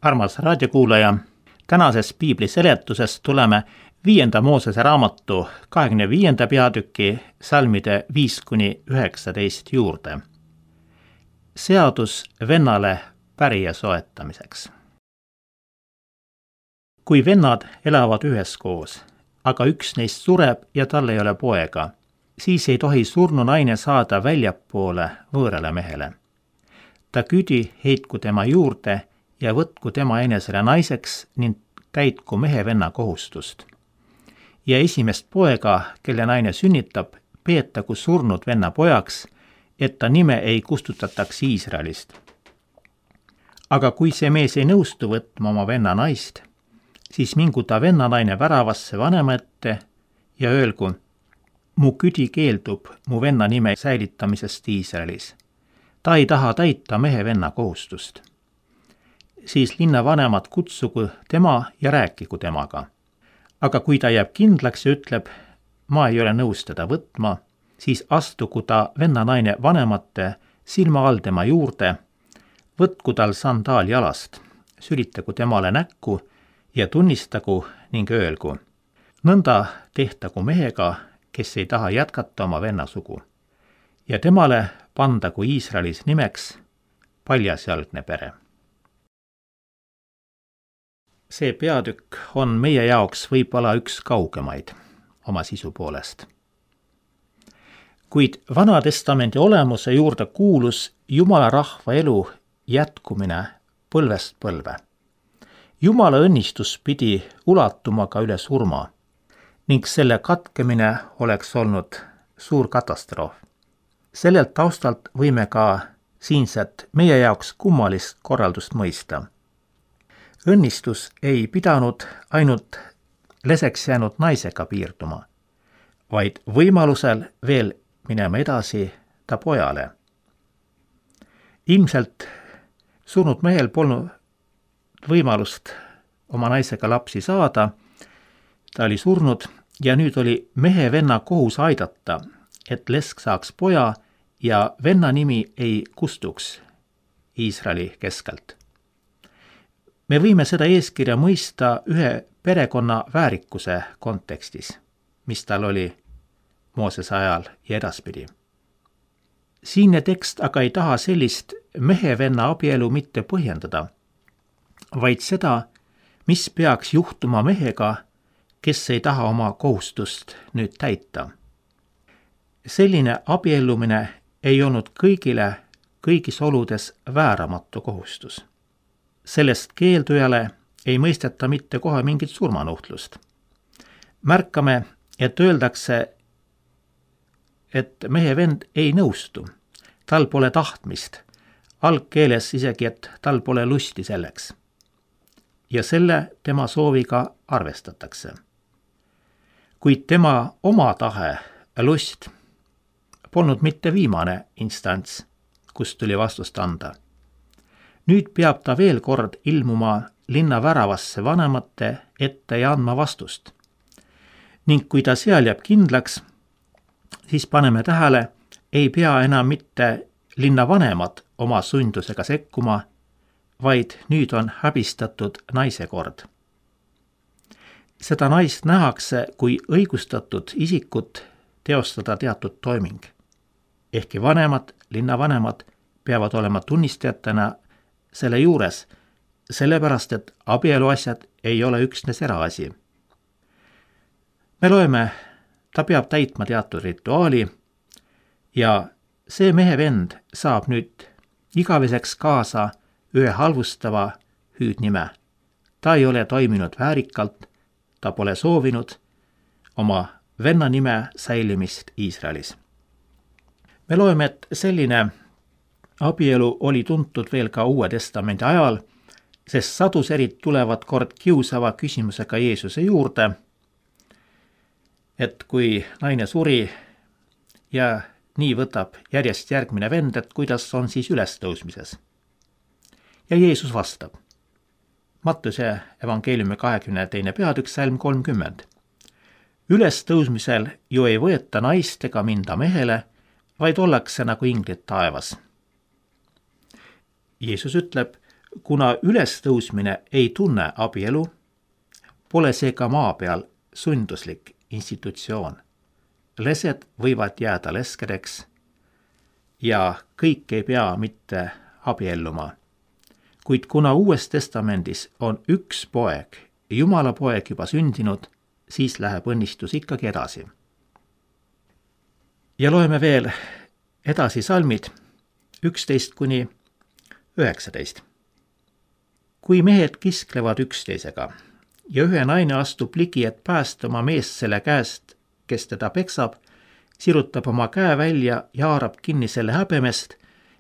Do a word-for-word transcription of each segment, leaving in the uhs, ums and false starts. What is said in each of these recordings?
Armas raadiokuulaja, tänases piibli seletuses tuleme viienda Moosese raamatu kahekümne viienda peatüki salmide viis kuni üheksateist juurde. Seadus vennale pärija soetamiseks. Kui vennad elavad üheskoos, aga üks neist sureb ja tal ei ole poega, siis ei tohi surnu naine saada väljapoole võõrale mehele. Ta küdi heitku tema juurde ja võtku tema enesele naiseks ning täitku mehe venna kohustust. Ja esimest poega, kelle naine sünnitab, peetagu surnud venna pojaks, et ta nime ei kustutataks Iisraelist. Aga kui see mees ei nõustu võtma oma venna naist, siis mingu ta venna naine väravasse vanema ette ja öelgu, mu küdi keeldub mu venna nime säilitamisest Iisraelis. Ta ei taha täita mehe venna kohustust. Siis linna vanemad kutsugu tema ja rääkigu temaga. Aga kui ta jääb kindlaks ja ütleb, ma ei ole nõus teda võtma, siis astugu ta venna naine vanemate silma all tema juurde, võtku tal sandaal jalast, sülitagu temale näkku ja tunnistagu ning öelgu. Nõnda tehtagu mehega, kes ei taha jätkata oma venna sugu. Ja temale pandagu Iisraelis nimeks paljasjalgne pere. See peatükk on meie jaoks võib-olla üks kaugemaid oma sisu poolest. Kuid Vana Testamendi olemuse juurde kuulus Jumala rahva elu jätkumine põlvest põlve. Jumala õnnistus pidi ulatuma ka üle surma ning selle katkemine oleks olnud suur katastroof. Sellelt taustalt võime ka siinset meie jaoks kummalist korraldust mõista. Õnnistus ei pidanud ainult leseks jäänud naisega piirduma, vaid võimalusel veel minema edasi ta pojale. Ilmselt surnud mehel polnud võimalust oma naisega lapsi saada, ta oli surnud ja nüüd oli mehe venna kohus aidata, et lesk saaks poja ja venna nimi ei kustuks Iisraeli keskelt. Me võime seda eeskirja mõista ühe perekonna väärikuse kontekstis, mis tal oli Moosese ajal ja edaspidi. Siinne tekst aga ei taha sellist mehe-venna abielu mitte põhjendada, vaid seda, mis peaks juhtuma mehega, kes ei taha oma kohustust nüüd täita. Selline abiellumine ei olnud kõigile kõigis oludes vääramatu kohustus. Sellest keeldujale ei mõisteta mitte kohe mingit surmanuhtlust. Märkame, et öeldakse, et mehe vend ei nõustu, tal pole tahtmist, algkeeles isegi, et tal pole lusti selleks. Ja selle tema sooviga arvestatakse. Kuid tema oma tahe, lust, polnud mitte viimane instants, kus tuli vastust anda. Nüüd peab ta veel kord ilmuma linna väravasse vanemate ette ja andma vastust. Ning kui ta seal jääb kindlaks, siis paneme tähele, ei pea enam mitte linna vanemad oma sundusega sekkuma, vaid nüüd on häbistatud naise kord. Seda naist nähakse kui õigustatud isikut teostada teatud toiming. Ehkki vanemad, linnavanemad peavad olema tunnistajatena selle juures, sellepärast, et abieluasjad ei ole üksnes eraasi. Me loeme, ta peab täitma teatud rituaali ja see mehe vend saab nüüd igaveseks kaasa ühe halvustava hüüdnime. Ta ei ole toiminud väärikalt, ta pole soovinud oma venna nime säilimist Iisraelis. Me loeme, et selline abielu oli tuntud veel ka Uue Testamendi ajal, sest saduserid tulevad kord kiusava küsimusega Jeesuse juurde, et kui naine suri ja nii võtab järjest järgmine vend, et kuidas on siis ülestõusmises. Ja Jeesus vastab. Mattuse evangeeliumi kahekümne teine peatükk salm kolmkümmend. Ülestõusmisel ju ei võeta naist ega minda mehele, vaid ollakse nagu inglid taevas. Jeesus ütleb, kuna ülestõusmine ei tunne abielu, pole see ka maa peal sunduslik institutsioon. Lesed võivad jääda leskedeks ja kõik ei pea mitte abielluma. Kuid kuna Uues Testamendis on üks poeg, Jumala poeg juba sündinud, siis läheb õnnistus ikkagi edasi. Ja loeme veel edasi salmid üksteist kuni üheksateist. Kui mehed kisklevad üksteisega ja ühe naine astub ligi, et päästa oma meest selle käest, kes teda peksab, sirutab oma käe välja ja haarab kinni selle häbemest,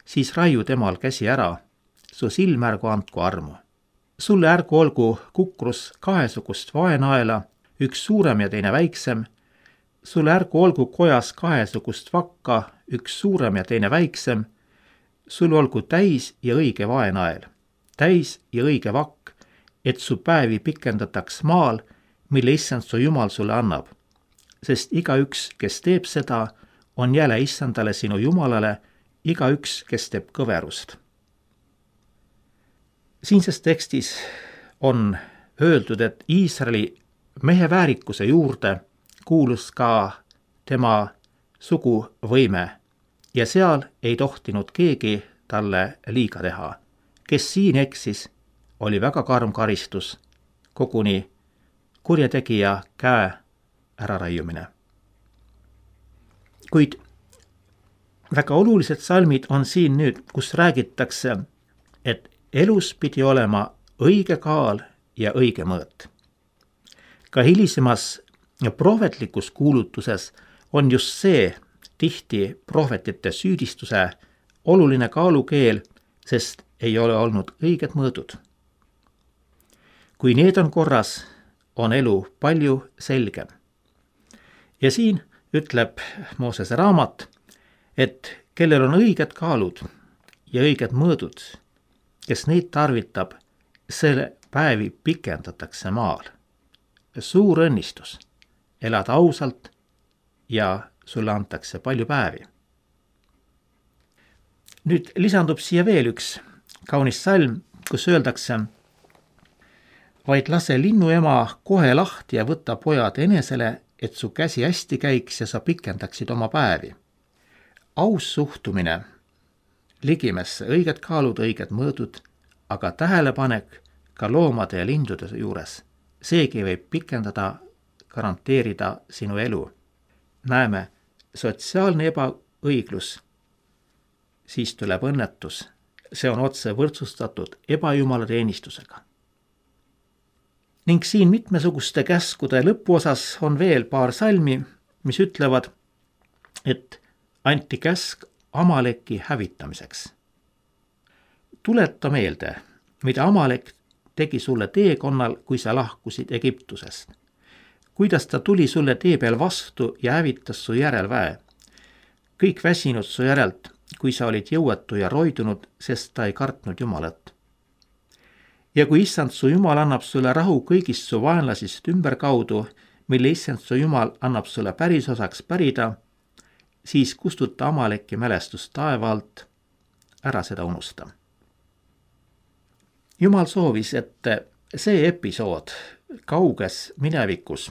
siis raiu temal käsi ära, su silm ärgu andku armu. Sulle ärgu olgu kukrus kahesugust vaenaela, üks suurem ja teine väiksem, sulle ärgu olgu kojas kahesugust vakka, üks suurem ja teine väiksem, sul olgu täis ja õige vaenael, täis ja õige vakk, et su päevi pikendataks maal, mille issand su Jumal sulle annab. Sest igaüks, kes teeb seda, on jälle issandale sinu Jumalale, igaüks, kes teeb kõverust. Siinses tekstis on öeldud, et Iisraeli mehe väärikuse juurde kuulus ka tema suguvõime ja seal ei tohtinud keegi talle liiga teha. Kes siin eksis, oli väga karm karistus, koguni kurjategija käe äraraiumine. Kuid väga olulised salmid on siin nüüd, kus räägitakse, et elus pidi olema õige kaal ja õige mõõt. Ka hilisemas prohvetlikus kuulutuses on just see tihti prohvetite süüdistuse oluline kaalukeel, sest ei ole olnud õiged mõõdud. Kui need on korras, on elu palju selgem. Ja siin ütleb Moosese raamat, et kellel on õiged kaalud ja õiged mõõdud, kes neid tarvitab, selle päevi pikendatakse maal. Suur õnnistus, elad ausalt ja sulle antakse palju päevi. Nüüd lisandub siia veel üks kaunis salm, kus öeldakse, vaid lase linnu ema kohe lahti ja võta pojad enesele, et su käsi hästi käiks ja sa pikendaksid oma päevi. Aus suhtumine ligimesse, õiged kaalud, õiged mõõdud, aga tähelepanek ka loomade ja lindude juures. Seegi võib pikendada, garanteerida sinu elu. Näeme, sotsiaalne ebaõiglus, siis tuleb õnnetus. See on otse võrdsustatud ebajumala teenistusega. Ning siin mitmesuguste käskude lõpuosas on veel paar salmi, mis ütlevad, et anti käsk Amaleki hävitamiseks. Tuleta meelde, mida Amalek tegi sulle teekonnal, kui sa lahkusid Egiptusest. Kuidas ta tuli sulle tee peal vastu ja hävitas su järelväe. Kõik väsinud su järelt, kui sa olid jõuetu ja roidunud, sest ta ei kartnud Jumalat. Ja kui issand su Jumal annab sulle rahu kõigist su vaenlasist ümberkaudu, mille issand su Jumal annab sulle pärisosaks pärida, siis kustuta Amaleki mälestust taeva alt, ära seda unusta. Jumal soovis, et see episood kauges minevikus,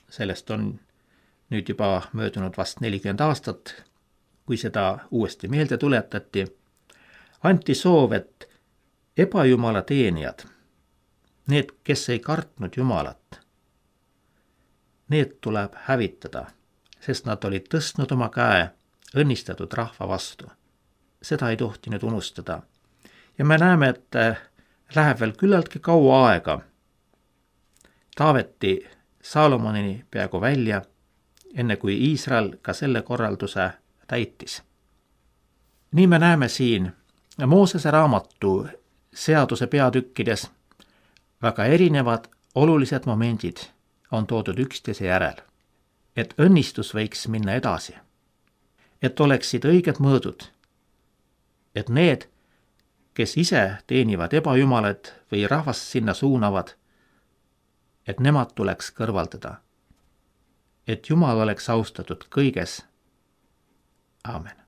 sellest on nüüd juba möödunud vast nelikümmend aastat, kui seda uuesti meelde tuletati, anti soov, et ebajumala teenijad, need, kes ei kartnud Jumalat, need tuleb hävitada, sest nad olid tõstnud oma käe õnnistatud rahva vastu. Seda ei tohtinud unustada. Ja me näeme, et läheb veel küllaltki kaua aega. Taaveti Saalomonini peaaegu välja, enne kui Iisrael ka selle korralduse täitis. Nii me näeme siin Moosese raamatu seaduse peatükkides väga erinevad olulised momendid on toodud üksteise järel, et õnnistus võiks minna edasi, et oleksid õiged mõõdud, et need, kes ise teenivad ebajumalad või rahvast sinna suunavad, et nemad tuleks kõrvaldada, et Jumal oleks austatud kõiges. Aamen.